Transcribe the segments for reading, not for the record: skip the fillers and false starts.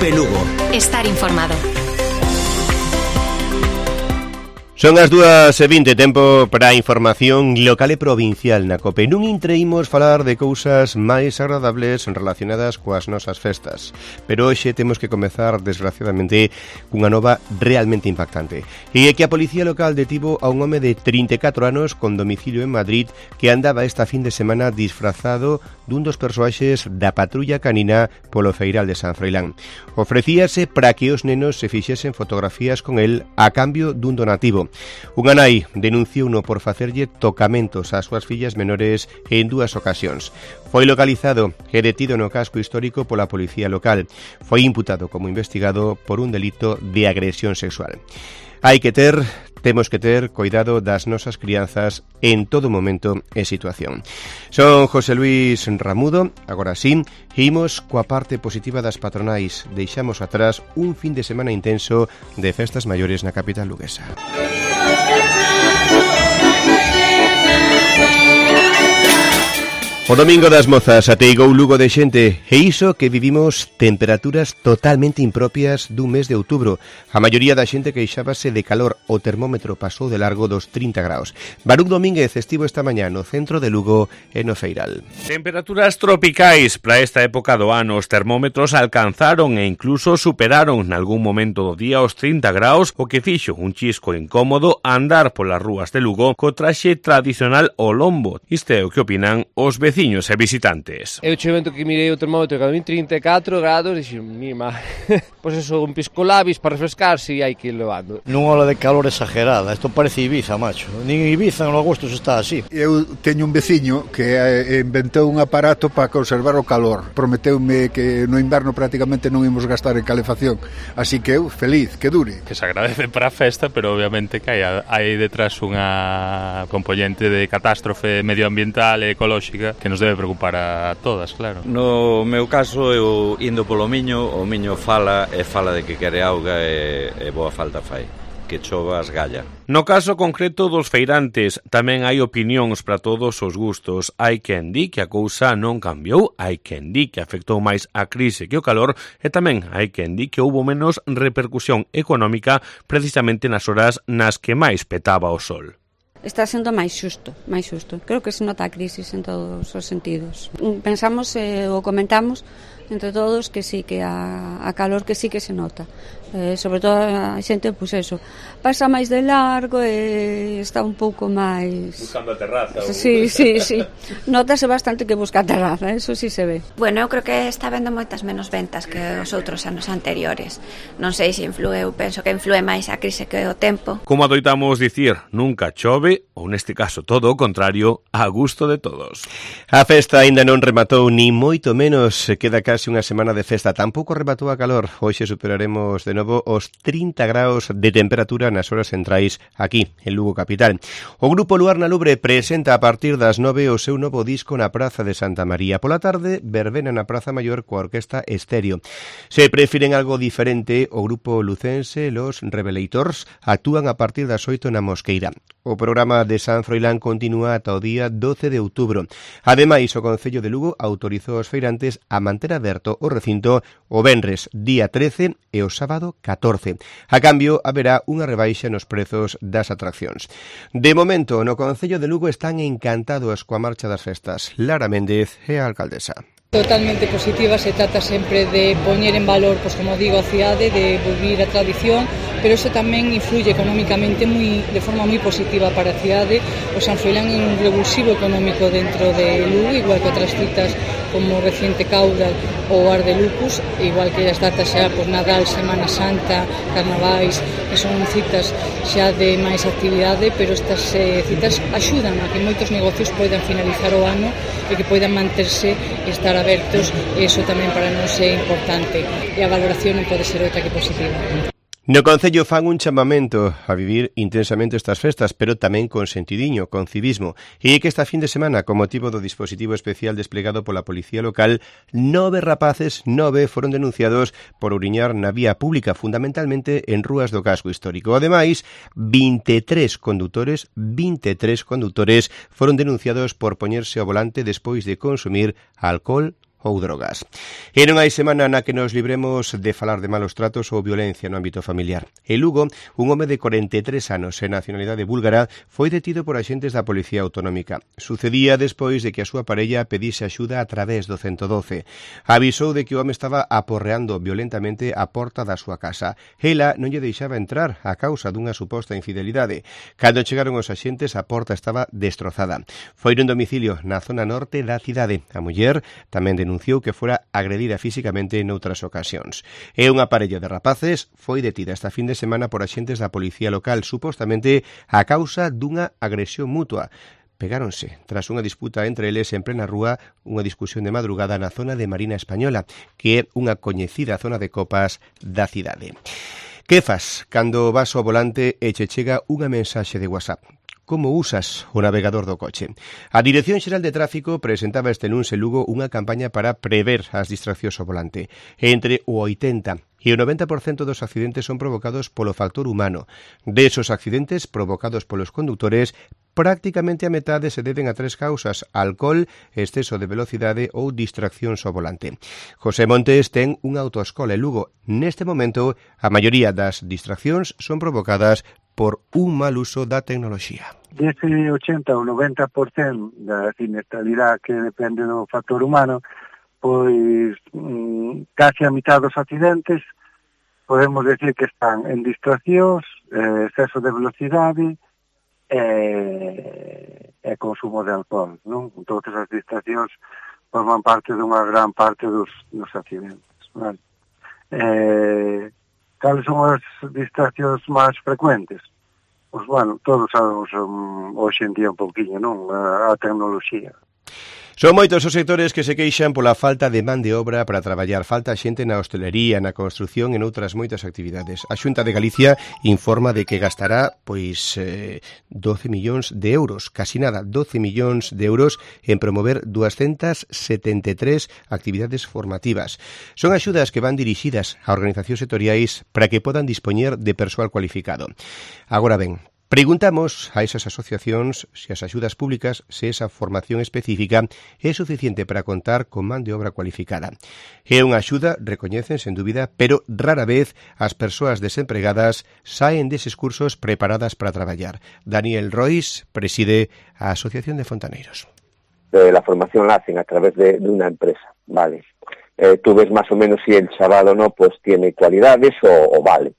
COPE Lugo. Estar informado. Son as 2:20, tempo para a información local e provincial na COPE. Non intreimos falar de cousas máis agradables relacionadas coas nosas festas, pero hoxe temos que comezar, desgraciadamente, cunha nova realmente impactante. E é que a Policía Local detivo a un home de 34 anos con domicilio en Madrid que andaba esta fin de semana disfrazado dun dos persoaxes da patrulla canina polo Feiral de San Froilán. Ofrecíase para que os nenos se fixesen fotografías con el a cambio dun donativo. Unha nai denunciouno por facerlle tocamentos ás súas fillas menores en 2 ocasións. Foi localizado e detido no casco histórico pola Policía Local. Foi imputado como investigado por un delito de agresión sexual. Temos que ter cuidado das nosas crianzas en todo momento e situación. Son José Luis Ramudo, agora sí, imos coa parte positiva das patronais. Deixamos atrás un fin de semana intenso de festas maiores na capital luguesa. O domingo das mozas ateigou Lugo de xente e iso que vivimos temperaturas totalmente impropias dun mes de outubro. A maioría da xente queixábase de calor, o termómetro pasou de largo dos 30 graus. Baruc Domínguez estivo esta mañá no centro de Lugo e no Feiral. Temperaturas tropicais para esta época do ano. Os termómetros alcanzaron e incluso superaron nalgún momento do día os 30 graus, o que fixo un chisco incómodo andar polas rúas de Lugo co traxe tradicional o lombo. Isto é o que opinan os vecinos e visitantes. Eu che vento que mirei o termómetro que a 34 grados e dixen, mima, pois eso, un pisco labis para refrescarse e hai que ir levando. Non ola de calor exagerada, isto parece Ibiza, macho. Nin Ibiza en agosto se está así. Eu teño un veciño que inventou un aparato para conservar o calor. Prometeume que no inverno prácticamente non imos gastar en calefacción. Así que eu, feliz, que dure. Que se agradece para a festa, pero obviamente que hai detrás unha componente de catástrofe medioambiental e ecolóxica que nos debe preocupar a todas, claro. No meu caso, eu indo polo Miño, o Miño fala de que quere auga e boa falta fai. Que chova as galla. No caso concreto dos feirantes, tamén hai opinións para todos os gustos. Hai quen di que a cousa non cambiou, hai quen di que afectou máis a crise que o calor e tamén hai quen di que houbo menos repercusión económica precisamente nas horas nas que máis petaba o sol. Está sendo máis xusto. Creo que se nota a crisis en todos os sentidos. Pensamos ou comentamos entre todos que sí, que a calor que sí que se nota. Sobre todo a xente, pois eso, pasa máis de largo e está un pouco máis... Buscando a terraza. Sí. Notase bastante que busca a terraza, eso sí se ve. Bueno, eu creo que está vendo moitas menos ventas que os outros anos anteriores. Non sei se influe, eu penso que influe máis a crise que o tempo. Como adoitamos dicir, nunca chove, ou neste caso todo o contrario, a gusto de todos. A festa aínda non rematou, ni moito menos, queda case unha semana de festa. Tampouco rematou a calor. Hoxe superaremos de novo os 30 graus de temperatura nas horas centrais aquí, en Lugo capital. O grupo Luar na Lubre presenta a partir das 9 o seu novo disco na Praza de Santa María. Pola tarde, verbena na Praza Maior coa Orquesta Estéreo. Se prefiren algo diferente, o grupo lucense Los Revelators actúan a partir das 8 na Mosqueira. O programa de San Froilán continúa ata o día 12 de outubro. Ademais, o Concello de Lugo autorizou aos feirantes a manter aberto o recinto o venres día 13 e o sábado 14. A cambio, haberá unha rebaixa nos prezos das atraccións. De momento, no Concello de Lugo están encantados coa marcha das festas. Lara Méndez é a alcaldesa. Totalmente positiva, se trata sempre de poñer en valor, pues como digo, a cidade, de volver a tradición, pero eso tamén influye económicamente de forma moi positiva para a cidade. O San Froilán é un revulsivo económico dentro de Lugo, igual que outras citas como Reciente Caudal ou Ar de Lucus, igual que as datas xa, pues Nadal, Semana Santa, Carnavais, que son citas xa de máis actividade, pero estas citas axudan a que moitos negocios poidan finalizar o ano e que poidan manterse e estar abertos, e iso tamén para nós é importante, e a valoración non pode ser outra que positiva. No Concello fan un chamamento a vivir intensamente estas festas, pero tamén con sentidiño, con civismo. E é que esta fin de semana, con motivo do dispositivo especial desplegado pola Policía Local, 9 rapaces foron denunciados por ouriñar na vía pública, fundamentalmente en rúas do casco histórico. Ademais, 23 condutores foron denunciados por poñerse ao volante despois de consumir alcohol ou drogas. E non hai semana na que nos libremos de falar de malos tratos ou violencia no ámbito familiar. En Lugo, un home de 43 anos e nacionalidade búlgara foi detido por axentes da Policía Autonómica. Sucedía despois de que a súa parella pedise axuda a través do 112. Avisou de que o home estaba aporreando violentamente a porta da súa casa. Ela non lle deixaba entrar a causa dunha suposta infidelidade. Cando chegaron os axentes, a porta estaba destrozada. Foi nun domicilio na zona norte da cidade. A muller tamén denunciou que fora agredida físicamente noutras ocasións. E unha parella de rapaces foi detida esta fin de semana por axentes da Policía Local, supostamente a causa dunha agresión mutua. Pegáronse tras unha disputa entre eles en plena rúa, unha discusión de madrugada na zona de Marina Española, que é unha coñecida zona de copas da cidade. Que fas cando vas ao volante e che chega unha mensaxe de WhatsApp? Como usas o navegador do coche? A Dirección Xeral de Tráfico presentaba este luns en Lugo unha campaña para prever as distraccións ao volante. Entre o 80 e o 90% dos accidentes son provocados polo factor humano. De esos accidentes provocados polos condutores, prácticamente a metade se deben a 3 causas: alcohol, exceso de velocidade ou distraccións ao volante. José Montes ten unha autoescola en Lugo. Neste momento, a maioría das distraccións son provocadas por un mal uso da tecnoloxía. Dese 80 ou 90% da siniestralidade que depende do factor humano, pois casi a mitad dos accidentes podemos decir que están en distraccións, exceso de velocidade e consumo de alcohol, non? Todas as distraccións forman parte dunha gran parte dos accidentes, vale? Cales son as distraccións máis frecuentes? Pois, bueno, todos sabemos hoxe en día un pouquinho, non? A tecnoloxía. Son moitos os sectores que se queixan pola falta de man de obra para traballar. Falta xente na hostelería, na construción e noutras moitas actividades. A Xunta de Galicia informa de que gastará 12 millóns de euros, casi nada, 12 millóns de euros en promover 273 actividades formativas. Son axudas que van dirixidas a organizacións sectoriais para que podan dispoñer de persoal cualificado. Agora ben, preguntamos a esas asociacións se as axudas públicas, se esa formación específica é suficiente para contar con man de obra cualificada. É unha axuda, recoñecen, sen dúbida, pero rara vez as persoas desempregadas saen deses cursos preparadas para traballar. Daniel Rois preside a Asociación de Fontaneiros. La formación la hacen a través de una empresa, ¿vale? Tú ves más o menos si el chaval o no pues tiene cualidades o vale,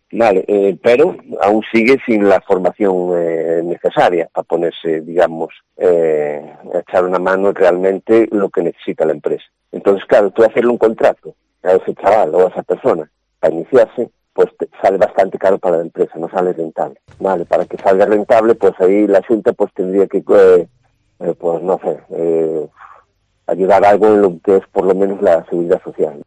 pero aún sigue sin la formación necesaria para ponerse, digamos, echar una mano realmente lo que necesita la empresa. Entonces, claro, tú hacerle un contrato a ese chaval o a esa persona para iniciarse, pues sale bastante caro para la empresa, no sale rentable, ¿vale? Para que salga rentable, pues ahí la Xunta pues tendría que, pues no sé, ayudar algo en lo que es por lo menos la seguridad social.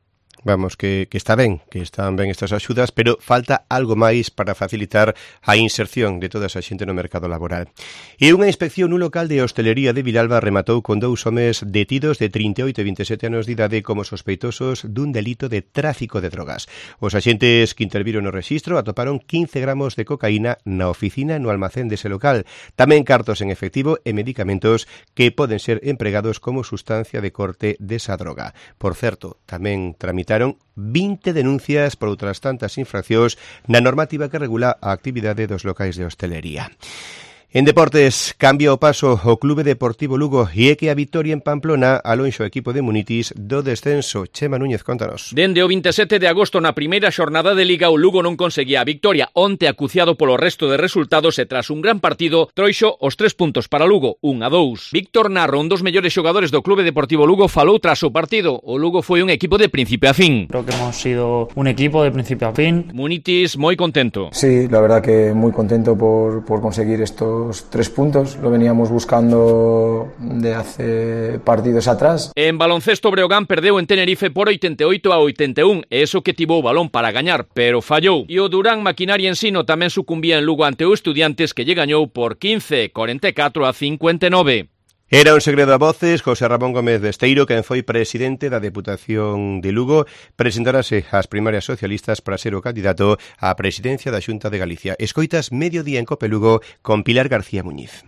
Vamos, que está ben, que están ben estas axudas, pero falta algo máis para facilitar a inserción de toda esa xente no mercado laboral. E unha inspección nun local de hostelería de Vilalba rematou con 2 homes detidos de 38 e 27 anos de idade como sospeitosos dun delito de tráfico de drogas. Os axentes que interviron no rexistro atoparon 15 gramos de cocaína na oficina no almacén dese local, tamén cartos en efectivo e medicamentos que poden ser empregados como sustancia de corte desa droga. Por certo, tamén tramitaron 20 denuncias por outras tantas infraccións na normativa que regula a actividade dos locais de hostelería. En deportes, cambia o paso o Clube Deportivo Lugo e é que a vitoria en Pamplona alonxa o equipo de Munitis do descenso. Chema Núñez, contanos. Dende o 27 de agosto na primeira xornada de Liga o Lugo non conseguía a victoria. Onte acuciado polo resto de resultados e tras un gran partido troixo os 3 puntos para Lugo, 1-2. Víctor Narro, un dos mellores xogadores do Clube Deportivo Lugo, falou tras o partido. O Lugo foi un equipo de principio a fin. Creo que hemos sido un equipo de principio a fin. Munitis moi contento. Sí, la verdad que muy contento por conseguir estos 3 puntos, lo veníamos buscando de hace partidos atrás. En baloncesto, Breogán perdeu en Tenerife por 88-81, e eso que tivo o balón para gañar, pero fallou. E o Durán Maquinaria Ensino tamén sucumbía en Lugo ante o Estudiantes, que lle gañou por 15-44-59. Era un segredo a voces. José Ramón Gómez Besteiro, quen foi presidente da Deputación de Lugo, presentarase ás primarias socialistas para ser o candidato á presidencia da Xunta de Galicia. Escoitas Mediodía en Cope Lugo con Pilar García Muñiz.